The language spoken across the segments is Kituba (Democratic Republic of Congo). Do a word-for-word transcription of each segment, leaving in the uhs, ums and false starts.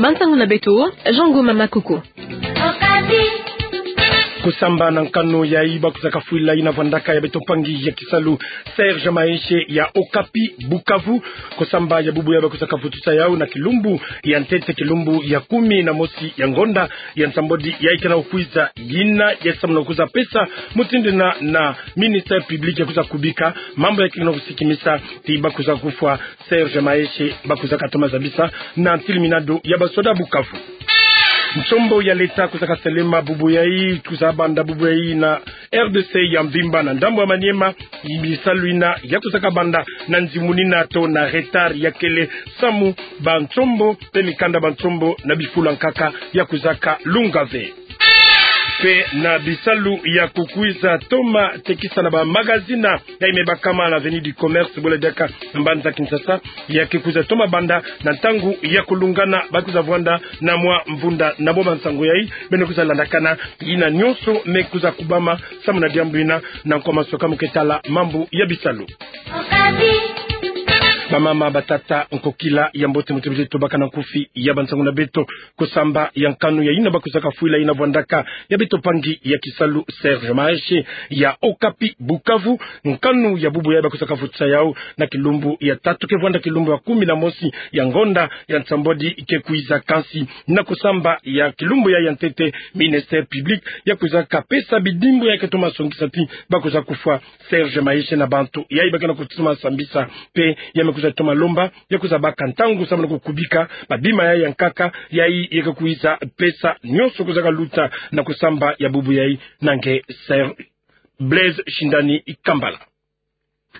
Bansangu na beto, Jean Ngoma Makuku. Kusamba na nkanu yayi bakuzaka fwila yina vwandaka ya beto mpangi ya kisalu Serge Maheshe ya Okapi Bukavu. Kusamba ya bubu yayi bakuzaka vutusa yawu na kilumbu ya ntete, kilumbu ya kumi na mosi ya ngonda ya nsambwadi yayi kena kukwiza, yina yayi samu na kukwiza pesa mutindu yina na ministère public ya kwiza kubika mambu yayi kena kusikimisa ti bakuza kufwa Serge Maheshe, bakuzaka toma zabisa na ntiliminado ya basoda Bukavu. Nsombo ya leta kuzaka selema bubu yayi, kwiza banda bubu yayi na R D C ya mvimba na ndambu ya Maniema, bisalu yina ya kuzaka banda na nzimunina to na retard ya kele samu bansombo mpe mikanda bansombo na bifulu ya nkaka ya kuzaka lunga ve. Mpe na bisalu ya kukwiza toma tekisa na bamagazini yayi me bakama na avenue du Commerce, bole diaka na mbanza Kinshasa, ya ke kwiza toma banda na ntangu ya kulungana, bakwiza vwanda na mwa mvunda. Na bo bansangu yayi beno kwiza landakana yina nyonso me kwiza kubama samu na diambu yina na nkwa masoka mu ke tala mambu ya bisalu. Bamama, batata, nkokila ya mbote, muti bije tobaka na nkufi ya bansangu na beto. Kusamba ya nkanu yayi yina bakuzaka fwila yina vwandaka ya beto mpangi ya kisalu Serge Maheshe ya Okapi Bukavu. Nkanu ya bubu yayi bakuzaka vutusa yawu na kilumbu ya tatu, ke vwanda kilumbu ya kumi na mosi ya ngonda ya nsambwadi ke kwiza. Kansi na kusamba ya kilumbu yayi ya ntete, ministère public ya kwizaka pesa bidimbu yayi ke toma songisa ti bakwiza kufwa Serge Maheshe na bantu yayi ba kena kutoma sambisa, mpe ya me kwiza toma lomba ya kwiza baka ntangu samu na kukubika babima yayi ya nkaka yayi ya ke kwiza pesa nyonso kwizaka luta na kusamba ya bubu yayi. Na nge Serge Blaise Shindani Kambala.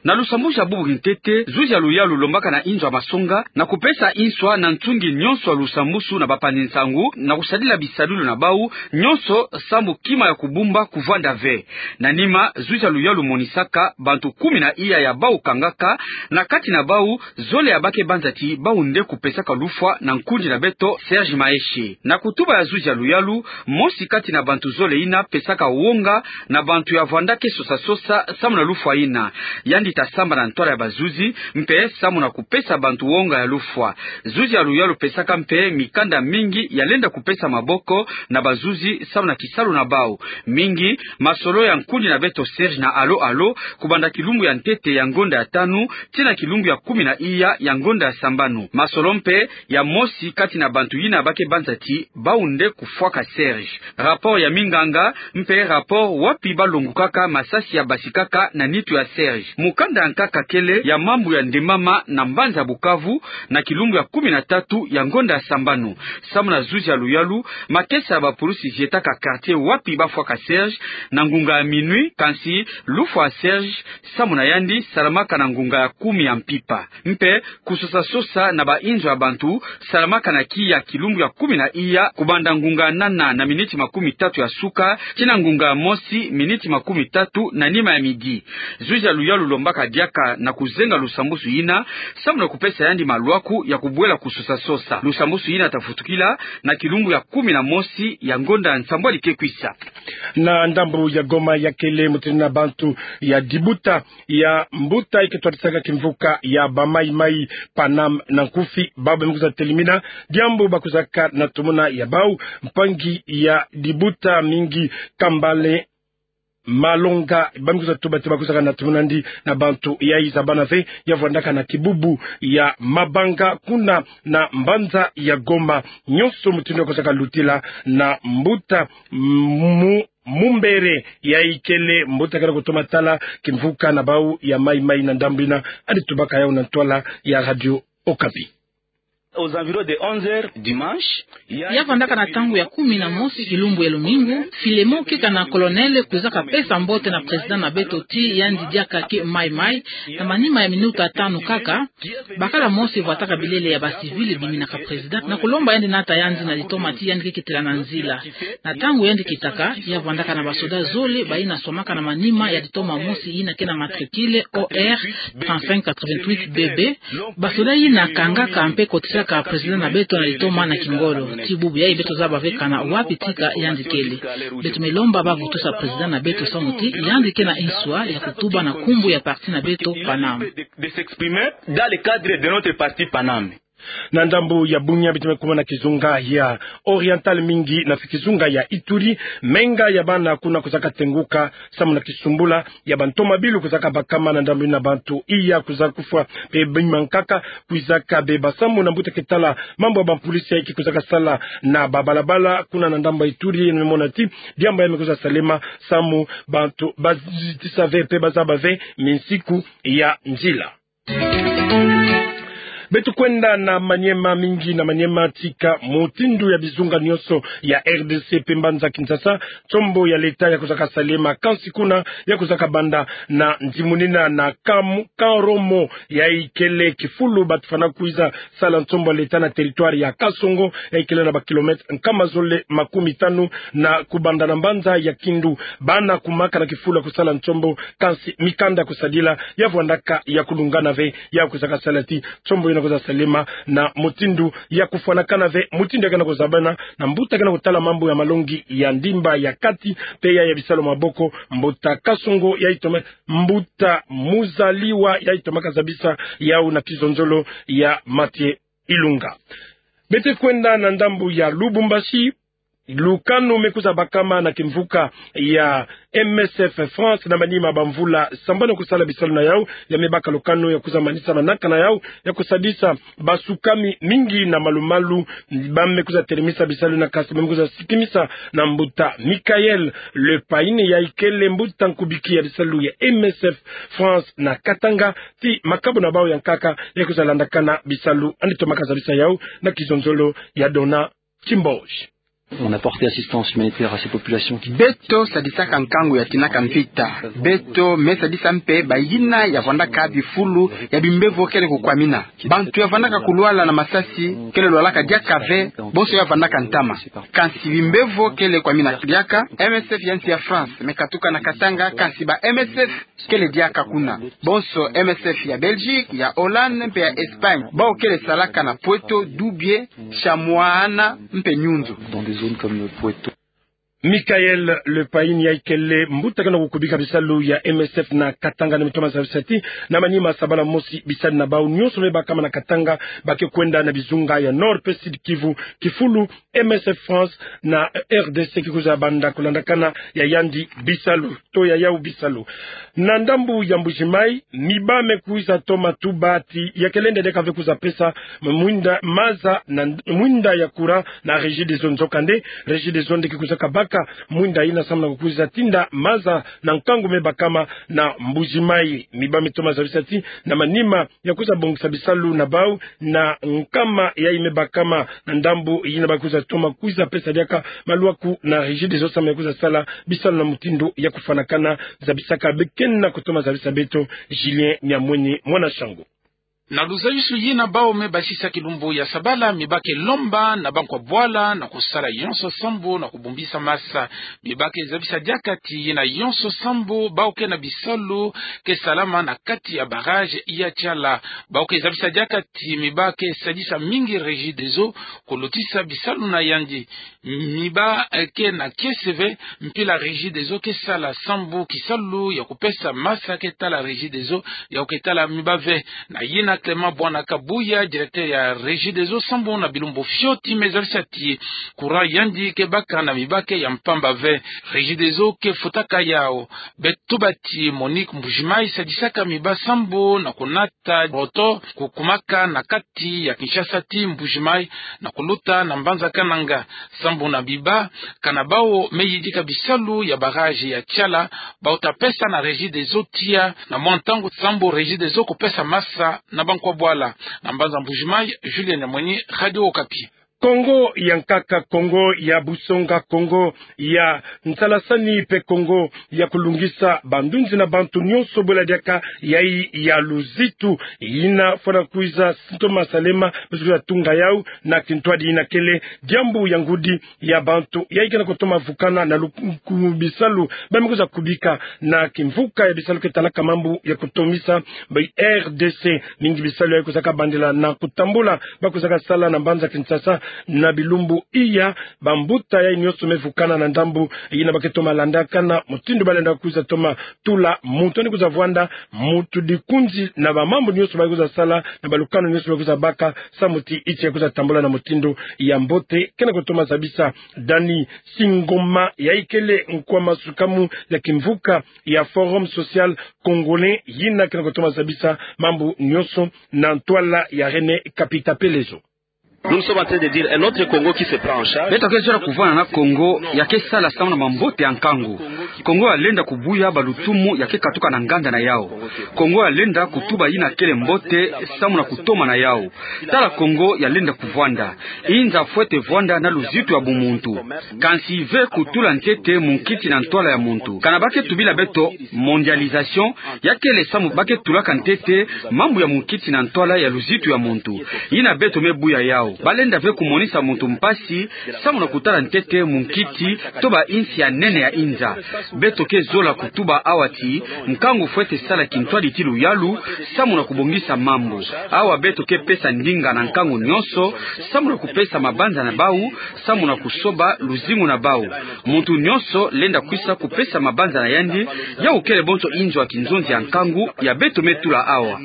Na lusambusu ya bubu kintete, zuzi ya luyalu lombaka na inzo ya masonga na kupesa inswa na nsungi nyonso ya lusambusu na bapanzi nsangu na kusadila bisadulu na bawu nyonso sambu kima ya kubumba kuvwanda ve. Na nima, zuzi ya luyalu monisaka bantu kumi na iya ya bawu kangaka, na kati na bawu zole ya ba ke banza ti bawu nde kupesaka lufwa na nkundi na beto Serge Maheshe. Na kutuba ya zuzi ya luyalu, mosi kati na bantu zole yina pesaka wonga na bantu ya vwanda ke sosa-sosa samu na lufwa yina. Yandi ta samba na ntwala ya bazuzi mpe samu na kupesa bantu wonga ya lufwa. Zuzi ya luyalu pesaka mpe mikanda mingi ya lenda kupesa maboko na bazuzi samu na kisalu na bawu. Mingi masolo ya nkundi na beto Serge na Allô Allô, kubanda kilumbu ya ntete ya ngonda ya tanu tii na kilumbu ya kumi na iya ya ngonda ya sambanu. Masolo mpe ya mosi kati na bantu yina ba ke banza ti bawu nde kufwaka Serge. Rapport ya minganga mpe rapport wapi balongukaka masasi ya basikaka na nitu ya Serge. Mukanda ya nkaka kele ya mambu ya ndemama na mbanza Bukavu na kilumbu ya kumi na tatu ya ngonda ya sambanu. Samu na zuzi ya luyalu, makesa ya bapulusi zietaka quartier wapi bafwaka Serge na ngunga ya minuit, kansi lufwa ya Serge samu na yandi salamaka na ngunga ya kumi ya mpimpa. Mpe kusosa-sosa na bainzo ya bantu salamaka na kiya kilumbu ya kumi na iya, kubanda ngunga ya nana na miniti makumi tatu ya suka tii na ngunga ya mosi miniti makumi tatu na nima ya midi. Zuzi ya luyalu lombaka diaka na kuzenga lusambusu yina samu na kupesa yandi malwaku ya kubwela kusosa-sosa. Lusambusu yina ta vutukila na kilumbu ya kumi na mosi ya ngonda ya nsambwadi ke kwisa. Na ndambu ya Goma ya kele mutindu yina bantu ya dibuta ya mbuta yi ke twadisaka kimvuka ya ba Mai Mai, Paname na nkufi, bawu ba me kwiza telimina diambu bakwizaka na tumuna ya bawu, mpangi ya dibuta mingi Kambale Malonga, ba me kwiza tuba ti bakwizaka na tumuna yandi na bantu yayi zabana ve, ya vwandaka na kibubu ya Mabanga kuna na mbanza ya Goma. Nyonso mutindu yayi kwizaka lutila na mbuta mu Mumbere, yayi kele mbuta kele kutoma tala kimvuka na bawu ya Mai Mai na ndambu yina, yandi tubaka yawu na ntwala ya Radio Okapi. Aux environs de onze heures dimanche, ya vandaka na ntangu ya kumi na mosi kilumbu ya lumingu, Filemon Kika na Colonel kwizaka pesa mbote na président na beto ti yandi diaka ke Mai Mai. Na manima ya minuta tanu kaka, bakala mosi vwataka bilele ya ba civil biminaka président na kulomba yandi nata yandi na litoma ti yandi ke kitila na nzila. Na ntangu yandi kitaka, ya vandaka na basoda zole bayina swamaka na manima ya litoma mosi yina ke na matricule O R trente-cinq quatre-vingt-huit B B. Basoda yina kangaka mpe kotisaka président na beto na litoma na kingolo. Ti bubu yayi beto zaba ve kana wapi tika yandi kele. Beto me lomba ba vutusa président na beto samu ti yandi ke na inswa ya kutuba na nkumbu ya parti na beto Paname. De s'exprimer dans le cadre de notre parti Paname. Na ndambu ya Bunia, beto me kuma na kizunga ya Oriental mingi na kizunga ya Ituri, menga ya bana kuna kwizaka tenguka samu na kisumbula ya bantomabilu kwizaka bakama na ndambu ina, bantu iya kwiza kufwa, mpe bima nkaka kwizaka beba samu na mbuta ke tala mambu ya bapolisi yayi ke kwizaka sala na babalabala kuna na ndambu ya Ituri. Yeno me mona ti diambu ya me kwiza salema samu bantu bazitisa ve mpe bazaba ve minsiku ya nzila. Beto kwenda na Maniema, mingi na Maniema tika mutindu ya bizunga nyonso ya R D C mpe mbanza Kinshasa, nsombo ya leta ya kwizaka salema, kansi kuna ya kwizaka banda na ndimunina na Kam-, Karomo, yayi kele kifulu bantu fwana kwiza sala nsombo ya leta na territoire ya Kasongo, yayi kele na ba kilomètres nkama zole makumi tanu na kubanda na mbanza ya Kindu. Bana kumaka na kifulu ya kusala nsombo, kansi mikanda kusadila ya vwandaka ya kulungana ve, ya kwizaka sala ti nsombo yina kwiza salema na mutindu ya kufwanakana ve, mutindu ya kena kuzabana na mbuta kena kutala mambu ya malongi ya ndimba ya kati mpe ya, ya bisalu maboko, mbuta Kasongo yayi toma, mbuta Muzaliwa yayi toma kazabisa yau na kizonzolo ya Mathieu Ilunga. Beto kwenda na ndambu ya Lubumbashi, lukanu me kwiza bakama na kimvuka ya M S F France na manima bamvula sambanu kusala bisalu na yau, ya me baka lukanu ya kwiza manisa manaka na yau ya kusadisa basukami mingi na malumalu, ba me kwiza telemisa bisalu na kansi ba me kwiza sikimisa na mbuta Michael Le Pain, yayi kele mbuta nkubiki ya bisalu ya M S F France na Katanga, ti makabu na bau ya nkaka ya kwiza landakana bisalu. Yandi toma kazabisa yau na kizonzolo ya Dona Kimbosh. On a porté assistance humanitaire à ces populations qui... Beto sadisaka nkangu ya tinaka mvita. Beto me sadisa mpe bayina ya vwandaka bifulu ya bimbevo kele kukwamina. Bantu ya vwandaka kulwala na masasi kele lwalaka diaka ve, bonso ya vwandaka ntama. Kansi bimbevo kele kwamina diaka. M S F ya nsi ya France me katuka na Katanga, kansi ba M S F kele diaka kuna. Bonso M S F ya Belgique, ya Hollande mpe ya Espagne, bau kele salaka na Pweto, Dubie, Chamouana mpe Nyunzu. Dans des zones comme Pweto. Michael Le Pain yayi kele mbuta kena kukubika bisalu ya M S F na Katanga, yandi me toma zabisa ti na manima sabala mosi bisalu na bau nyonso me bakama na Katanga ba ke kwenda na bizunga ya Nord mpe Sud Kivu, kifulu M S F France na R D C ke kwiza banda kulandakana ya yandi bisalu, to ya yau bisalu. Na ndambu ya Mbuji-Mayi, miba me kwiza toma tuba ti ya ke lenda diaka ve kwiza pesa mwinda maza na mwinda ya courant na Regideso. Nzokande, Regideso nde ke kwizaka baka mwinda yina samu na kukwiza tinda maza na nkangu me bakama na Mbuji-Mayi. Miba me toma zabisa ti na manima ya kwiza bongisa bisalu na bau na nkama yayi me bakama na ndambu yina, ba kwiza toma kwiza pesa diaka malwaku na Regideso samu ya kwiza sala bisalu na mutindu ya kufwanakana. Zabisaka be kena kutoma zabisa beto, Julien Nyamweni, mwana Shangu. Na luzayisu yina bau me basisa kilumbu ya sabala, miba ke lomba na bankwa bwala na kusala yonso sambu na kubumbisa masa. Miba ke zabisa diaka ti yina yonso sambu bau ke na bisalu ke salama na kati ya barrage ya Tiala. Bau ke zabisa diaka ti miba ke sadisa mingi Regideso kulutisa bisalu na yandi. Miba, eh, ke na kiese ve mpila Regideso ke sala sambu kisalu ya kupesa masa ke tala Regideso ya ke tala miba ve. Na yina Clément Bwana Kabuya, directeur ya Regideso sambu na bilumbu fioti, me zabisa ti courant yandi ke baka na miba ke ya mpamba ve. Regideso ke futaka yau. Beto tuba ti Monique Mbuji-Mayi sadisaka miba sambu na kunata roto kukumaka na kati ya Kinshasa ti Mbuji-Mayi na kuluta na mbanza Kananga. Sambu na miba, kana bau me yidika bisalu ya barrage ya Tiala, bau ta pesa na Regideso tiya na mwa ntangu sambu Regideso kupesa masa na bankwa bwala. Na mbanza Mbuji-Mayi, Julien Nyamweni, Radio Okapi. Kongo ya nkaka, Kongo ya busonga, Kongo ya nsalasani mpe Kongo ya kulungisa bandunzi na bantu nyonso bwela diaka yayi ya luzitu yina fwana kwiza sintoma salema, beto kwiza tunga yau na kintwadi yina kele diambu ya ngudi ya bantu yayi kena kutoma vukana na luku bisalu ba me kwiza kubika na kimvuka ya bisalu ke talaka mambu ya kutomisa ba R D C. Mingi bisalu yayi kwizaka bandila na kutambula, ba kwizaka sala na mbanza Kinshasa, Na bilumbu iya, bambuta yai nyonso me vukana na ndambu yina ba ke toma landakana mutindu ba lenda kwiza toma tula muntu yandi kwiza vwanda muntu dikunzi na bamambu nyonso ba kwiza sala, na balukanu nyonso ba kwiza baka, samu ti insi ya kwiza tambula na mutindu ya mbote. Kena kutoma zabisa Dany Singoma, yai kele nkwa masukamu ya kimvuka ya Forum Social Congolais, yina kena kutoma zabisa mambu nyonso na ntwala ya René Kapita Pelezo. Nous sommes en train de dire un autre Congo qui se prend en charge. Beto ke zola kuvwanda na Congo ya ke sala samu na mambote ya nkangu. Congo ya lenda kubuya balutumu ya ke katuka na nganda na yau. Congo ya lenda kutuba yina kele mbote samu na kutoma na yau. Tala Congo ya lenda kuvwanda. Inza fwete vwanda na luzitu ya bumuntu. Kansi ve kutula ntete munkiti na ntwala ya muntu. Kana ba ke tubila beto mondialisation, ya kele samu ba ke tulaka ntete mambu ya munkiti na ntwala ya luzitu ya muntu. Yina beto me buya yau. Ba lenda ve kumonisa muntu mpasi samu na kutala ntete munkiti to ba insi ya nene ya inza. Beto ke zola kutuba awa ti, nkangu fwete sala kintwadi ti luyalu, samu na kubongisa mambu. Awa beto ke pesa ndinga na nkangu nyonso, samu na kupesa mabanza na bau, samu na kusoba luzingu na bau. Muntu nyonso lenda kwisa kupesa mabanza na yandi, yau kele bonso inzo ya kinzonzi ya nkangu ya beto me tula awa.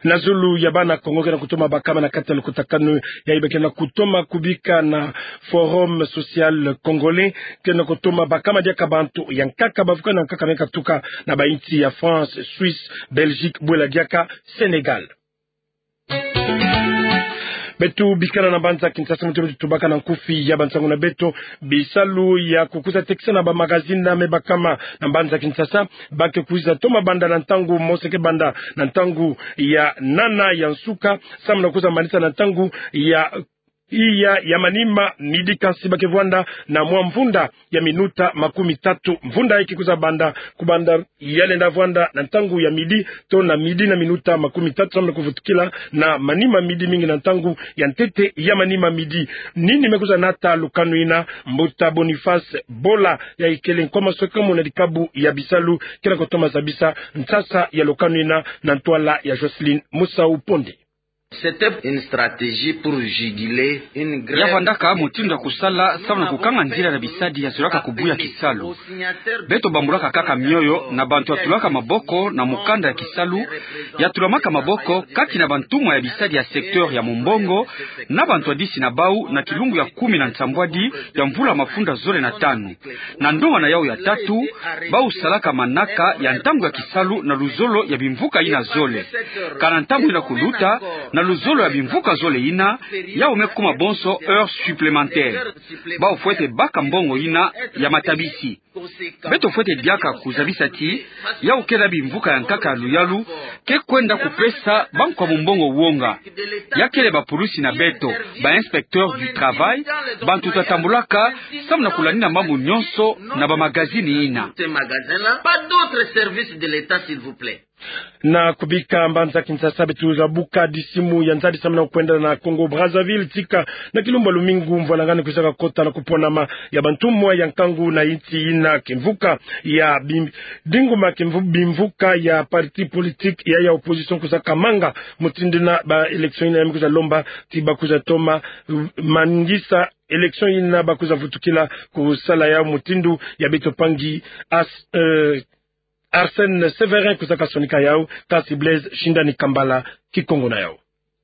Na zulu ya bana Kongo kena kutoma bakama na kati ya lukutakanu yai ba kena kutoma kubika na Forum Social Congolais, kena kutoma bakama diaka bantu ya nkaka bavukana nkaka me katuka na ba insi ya France, Suisse, Belgique, bwela diaka Sénégal. Beto bikana na mbanza Kinshasa, mutindu tubaka na nkufi ya bansangu na beto, bisalu ya kukwiza tekisa na ba magazine me bakama na mbanza Kinshasa, ba ke kwiza toma banda na ntangu mosi ke banda na ntangu ya nana ya nsuka, samu na kwiza manisa na ntangu ya iya ya manima midi. Kansi ba ke vwanda na mwa mvunda ya minuta makumi tatu. Mvunda yai ke kwiza banda, kubanda ya lenda vwanda na ntangu ya midi, to na midi na minuta makumi tatu, samu na kuvutukila na manima midi mingi na ntangu ya ntete ya manima midi. Nini me kwiza nata lukanu yina? Mbuta Boniface Bola, yai kele nkwa masukamu na dikabu ya bisalu, kena kutoma zabisa nsasa ya lukanu yina na ntwala ya Jocelyn Musau Ponde. C'était une stratégie pour juguler une grève. Ya vwandaka mutindu ya kusala samu na kukanga nzila na bisadi ya zolaka kubuya kisalu. Beto bambulaka kaka mioyo na bantu ya tulaka maboko na mukanda ya kisalu, ya tulamaka maboko kati na bantumwa ya bisadi ya secteur ya mumbongo, na bantwadisi na bau na kilumbu ya kumi na nsambwadi ya mvula mafunda zole na tanu. Na ndonga na yau ya tatu, bau salaka manaka ya ntangu ya kisalu na luzolo ya bimvuka yina zole. Kana ntangu yina kuluta, na luzolo ya bimvuka zole yina, yau me kuma bonso heures supplémentaires. Bau fwete baka mbongo yina ya matabisi. Beto fwete diaka kuzabisa ti, yau kele bimvuka ya nkaka ya luyalu ke kwenda kupesa bankwa mumbongo wonga. Ya kele bapulusi na beto, ba inspecteurs du travail, bantu ta tambulaka samu na kulandila mambu nyonso na ba magazine yina. Pas d'autres services de l'État, s'il vous plaît. Na kubika mbanza Kinshasa, beto za buka disimu ya nzadi samu na kwenda na Congo Brazzaville, tika na kilumbu ya lumingu mvwalangani kwizaka kota na kuponama ya bantumwa ya nkangu na insi yina. Kimvuka ya bim-, dinguma kimvu-, bimvuka ya parti politique ya, ya opposition kwizaka manga mutindu yina ba élection yina ya me kwiza lomba ti ba kwiza toma, uh, mangisa élection yina ba kwiza vutukila kusala yau mutindu ya beto mpangi As-, euh, Arsène Sévérin kwizaka sonika yau, kasi Blaise Shindani Kambala, Kikongo na yau.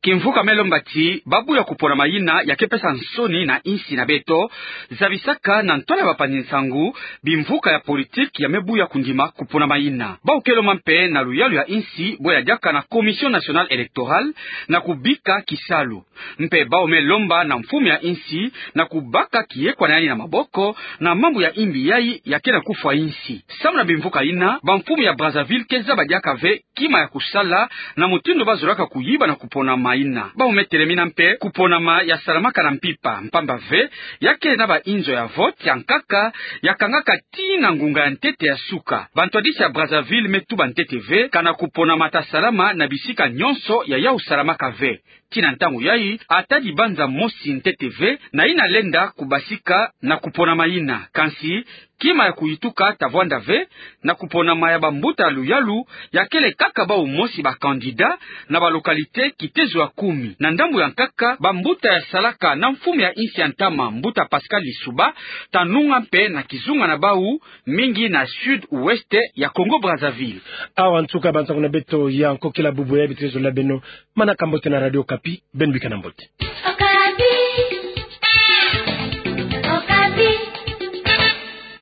Kimvuka me lomba ti ba buya kuponama yina ya ke pesa nsoni na insi na beto, zabisaka na ntwala ya bapanzi nsangu bimvuka ya politique ya me buya kundima kuponama yina. Bau ke lomba mpe na luyalu ya insi bwe ya diaka na Commission Nationale Électorale na kubika kisalu. Mpe bau me lomba na mfumu ya insi na kubaka kiyekwa na yandi na maboko na mambu ya imbi yai ya ke na kufwa insi. Samu na bimvuka yina, bamfumu ya Brazzaville ke zaba diaka ve kima ya kusala na mutindu ba zolaka kuyiba na kuponama yina. Bau me telemina mpe kuponama ya salamaka na mpimpa, mpamba ve ya kele na ba inzo ya vote ya nkaka ya kangaka tii na ngunga ya ntete ya suka. Bantwadisi ya Brazzaville me tuba ntete ve kana kuponama ta salama na bisika nyonso ya yau salamaka ve. Tii na ntangu yai, ata dibanza mosi ntete ve na yina lenda kubasika na kuponama yina. Kansi, kima ya kuyituka ta vwanda ve, na kuponama ya bambuta ya luyalu, ya kele kaka bau mosi ba candidat, na ba localité kitezo ya kumi. Na ndambu ya nkaka, bambuta ya salaka na mfumu ya insi ya ntama, mbuta Pascal Lissouba, ta nunga mpe na kizunga na bau, mingi na sud-ouest ya Congo-Brazzaville. Awa nsuka ya bansangu na beto ya nkokila bubu ya bitezo la beno, manaka mbote na Radio Okapi, beno bika na mbote.